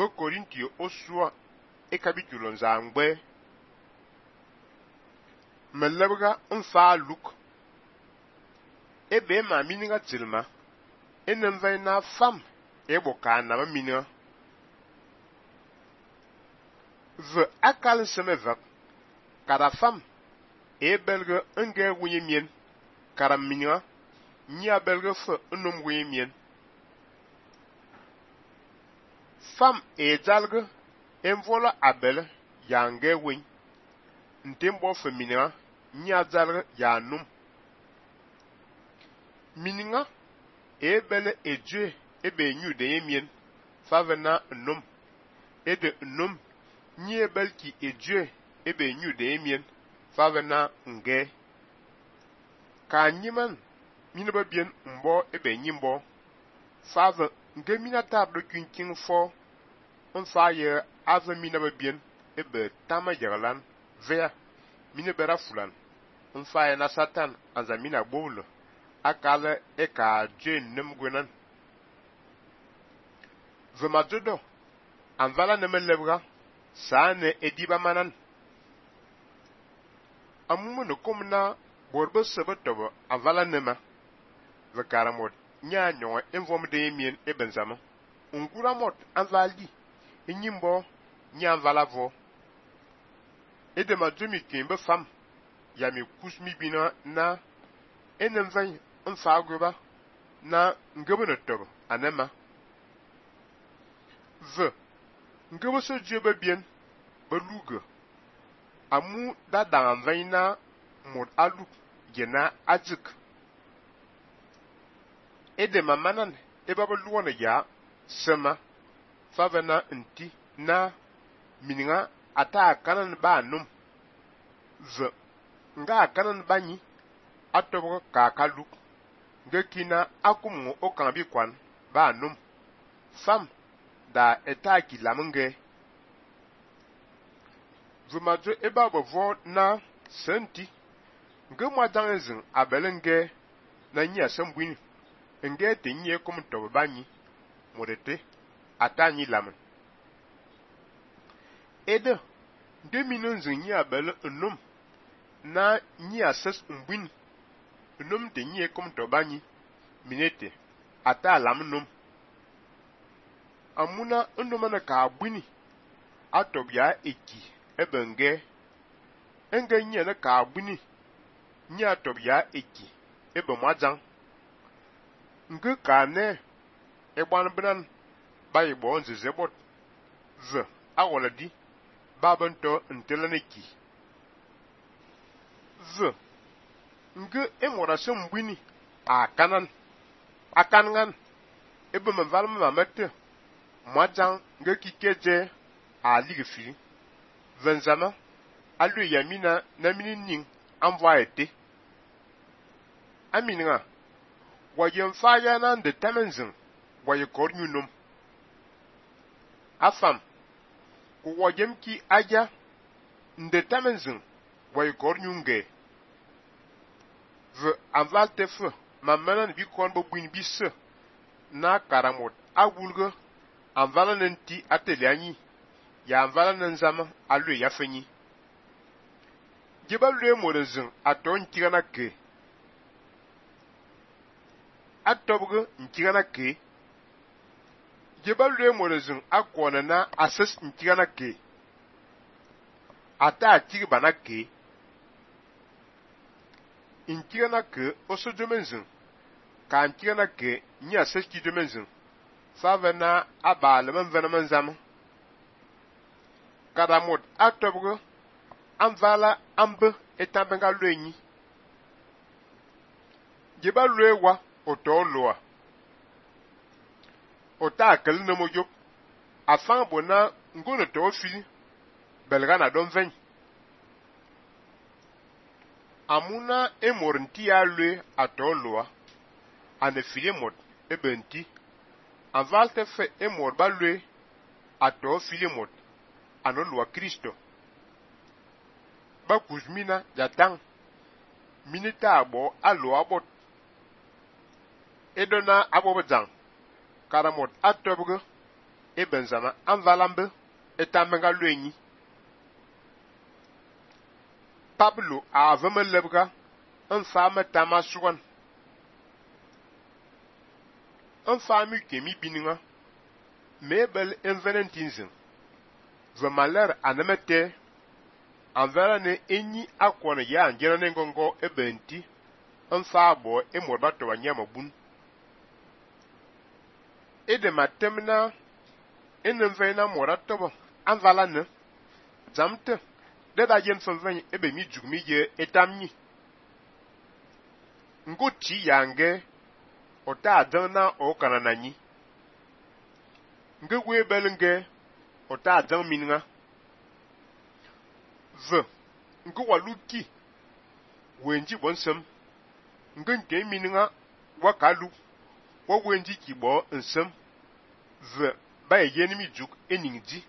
be Korintio osua e capítulo nzangbe melebga mfa luk ebe ma mininga tilma enem vai na fam e boka na mininga ve akal semevak kada fam e belge nge wunye mien kada mininga nya belge fe num wunye mien fam e jalge envola abel ya nge win ntembo fe mininga nya jalge ya num mininga e bele ejue ebe nyu de yemien favena num ede num nye belki ejue ebe nyu de yemien favena nge ka nyiman minaba bien mbo ebe nyimbo fave nge minata do kinkin fo mfa ye ave minaba bien ebe tama jaglan vea minabera fulan mfa ye na satan anzamina bowlo akale eka jen nem gwenan vema dodo anvala neme lebga saane ediba manan amumu no komna borbe sebe tobo anvala nema vekaramot nya nyon envom de mien ebenzama unguramot anvali enyimbo nya anvala vo edema demi kimbe fam ya mi kusmi bina na enem van mfagoba na ngebe tobo anema ve ngebe so jebe bien beluge amu da dan vaina mod alu gena ajik edema manan ebaba luwana ya sema favena nti na mininga ata kanan ba num ve nga kanan banyi atobo kakalu ngekina akumu okambi kwan ba num fam da etaki lamunge vumajo eba bovo na senti nge mwadangezin abelenge na nya sambwini nge te nye kum to banyi modete atanyi lamun ede de minonzin nya abel num na nya ses mbwini num te nye kum to banyi minete ata lamunum amuna ndumana ka bwini atobya eki ebenge enge nye na ka bwini nye atobya eki ebe mwajan nge ka ne egban bran bayi bo nzize bot ze awola di babento ntelaneki ze nge emora se mbwini akangan ebe mvalma mamete mwajan nge kikeje aligfi venzama alu yamina na minin envoie ete aminga wayen faya nan de tamenzin waye kornyunum afam ku wajem ki aja nde tamenzin waye kornyunge ve anvalte fe mamanan bi kon bo buin bisse na karamot agulge anvala nenti atelianyi ya anvala nzama alu ya fenyi jibalu morezin aton tigana ke atobgo ntigana ke jibalu morezin akona na asas ntigana ke ata tigibana ke ntigana ke osojomenzin ka ntigana ke nya asas kijomenzin favena abalman venaman zam kadamot atobgo anvala ambe etambenga lwenyi jeba lwewa otoloa ota akel no mojo afan bona ngono to fi belgana don ven amuna emornti ya lwe atoloa ane filemot ebenti anvalte fe emor balwe ato filemot anoloa Kristo ba kuzmina jatang minita abo alo abot edona abo bajang karamot atobgo benzama anvalambe etamenga luenyi. Pablo aveme lebga enfame tamasugan. Enfame kemi bininga mebel envenentinzin. Vemaler anemete anvera ne enyi akwane ya anjera nengongo ebenti enfabo emorbato wanyama bun. De matemna enenvena moratobo anvala ne zamte de da yen fanvany ebe mi jugmi je etamni nguti yange ota adana o kanananyi ngwe belenge ota adan minga v ngu waluki wenji bonsem ngenge minga wakalu wo wenji kibo nsem v ba yenimi juk eningji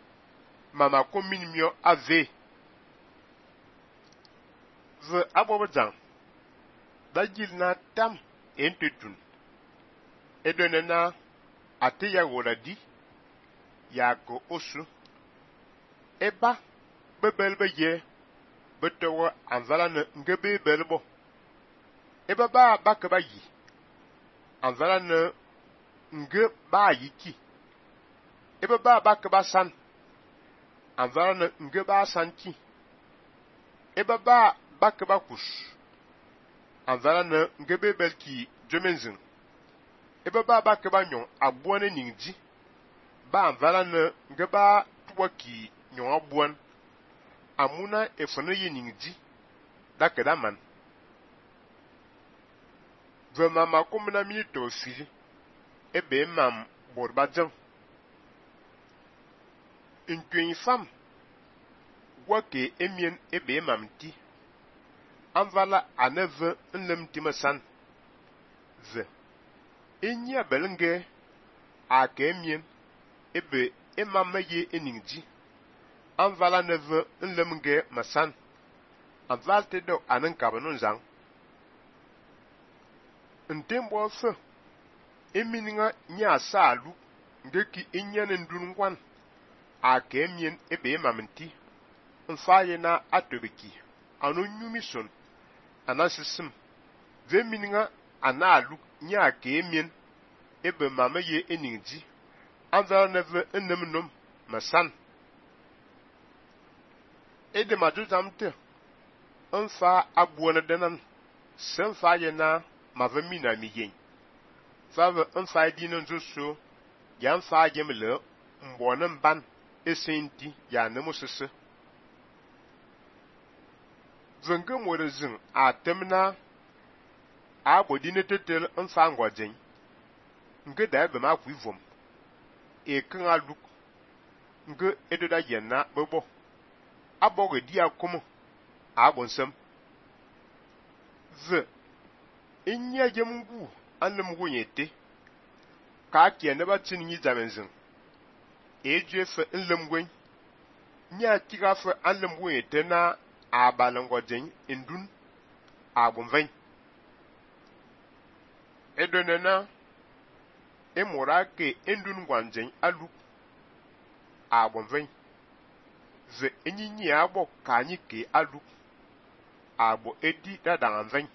mama ko minimio ave v abobodan dajil na tam entetun edonena ate ya woladi ya ko osu eba bebelbeye betewo anvala ne ngebe belbo eba ba bakaba yi anvala ne nge ba yiki eba ba bakaba san anvala ne nge ba sanki eba ba bakaba kus anvala ne ngebe belki jomenzin eba ba bakaba nyon abuane ningji ba anvala ne nge ba tuwaki nyon abuan amuna efone ye ningji dakeda man vema makumna minito fili ebe mam borbajan nkwen fam wake emien ebe mam ti anvala aneve nlem timasan ve enya belenge ake emien ebe emamaye eningji anvala neve nlemge masan anvalte do anankabanu zang ntembo fe emininga nya salu ngeki enyane ndungwan ake emien ebe mamenti mfaye na atobeki anu nyumison anasisim ve mininga analu nya ake emien ebe mamaye eningji anvala neve nnemnom masan ede majuzamte mfa abuone denan semfa ye na mavamina miyen fave mfa dino nzoso ya mfa jemle mbone mban esenti ya nemusese zenge morezin atemna abodine tetel mfa ngwajen nge da ebe ma kwivom e kan aluk nge edoda yenna bebo aboge dia komo abonsem ze inya jemngu anlem wonyete ka kiene ba tinyi zamenzin ejefe nlem gwen nya kigafe anlem wonyete na abalangojen indun agunven edonena emorake indun gwanjen alu agunven ze enyinyi abo kanyi ke alu abo edi dadanven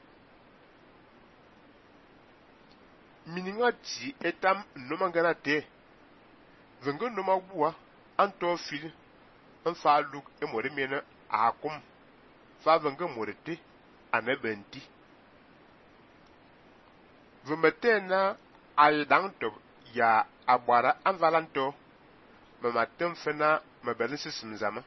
mininga ti etam nomangana te vengo noma bua anto fil mfa alu emore mena akum fa vengo morete anabenti vemetena aydanto ya abara anvalanto mamatem fena mabelinsi simzama